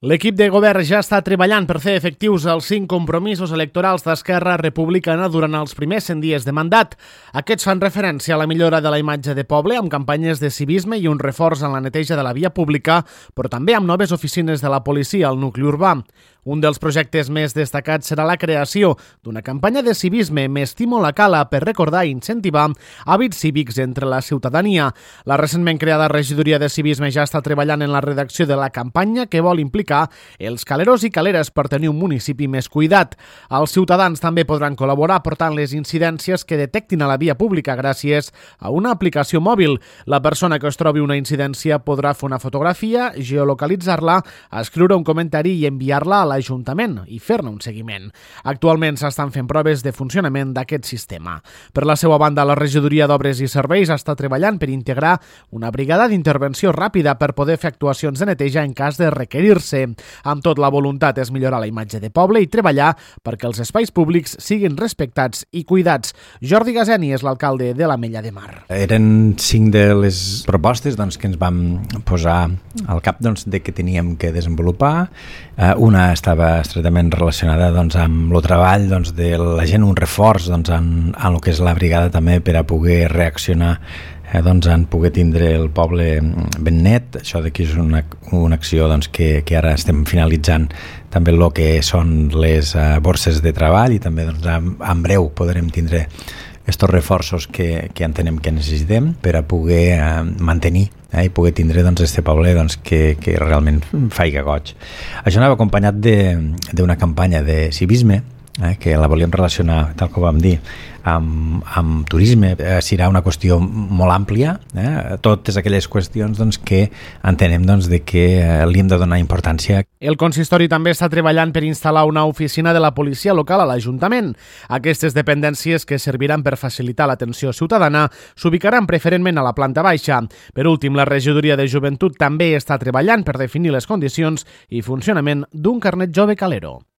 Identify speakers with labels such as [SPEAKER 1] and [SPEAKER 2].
[SPEAKER 1] L'equip de govern ja està treballant per fer efectius els 5 compromisos electorals d'Esquerra Republicana durant els primers 100 dies de mandat. Aquests fan referència a la millora de la imatge de poble amb campanyes de civisme i un reforç en la neteja de la via pública, però també amb noves oficines de la policia al nucli urbà. Un dels projectes més destacats serà la creació d'una campanya de civisme M'estimo la cala per recordar i incentivar hàbits cívics entre la ciutadania. La recentment creada regidoria de civisme ja està treballant en la redacció de la campanya que vol implicar els caleros i caleres per tenir un municipi més cuidat. Els ciutadans també podran col·laborar portant les incidències que detectin a la via pública gràcies a una aplicació mòbil. La persona que es trobi una incidència podrà fer una fotografia, geolocalitzar-la, escriure un comentari i enviar-la a l'Ajuntament i fer-ne un seguiment. Actualment s'estan fent proves de funcionament d'aquest sistema. Per la seva banda, la regidoria d'Obres i Serveis està treballant per integrar una brigada d'intervenció ràpida per poder fer actuacions de neteja en cas de requerir-se. Amb tot, la voluntat és millorar la imatge de poble i treballar perquè els espais públics siguin respectats i cuidats. Jordi Gazeni és l'alcalde de l'Ametlla de Mar.
[SPEAKER 2] Eren 5 de les propostes que ens vam posar al cap de que teníem que desenvolupar. Una estava estretament relacionada amb el treball de la gent, un reforç en el que és la brigada també per a poder reaccionar en poder tindre el poble ben net. Això d'aquí és una acció que ara estem finalitzant també el que són les borses de treball i també en breu podrem tindre aquests reforços que entenem que necessitem per a poder mantenir i poder tindre aquest poble que realment faiga goig. Això anava acompanyat d'una campanya de civisme que la volíem relacionar, tal com vam dir, amb turisme. Serà una qüestió molt àmplia, totes aquelles qüestions que entenem que li hem de donar importància.
[SPEAKER 1] El consistori també està treballant per instal·lar una oficina de la policia local a l'Ajuntament. Aquestes dependències, que serviran per facilitar l'atenció ciutadana, s'ubicaran preferentment a la planta baixa. Per últim, la regidoria de joventut també està treballant per definir les condicions i funcionament d'un carnet jove calero.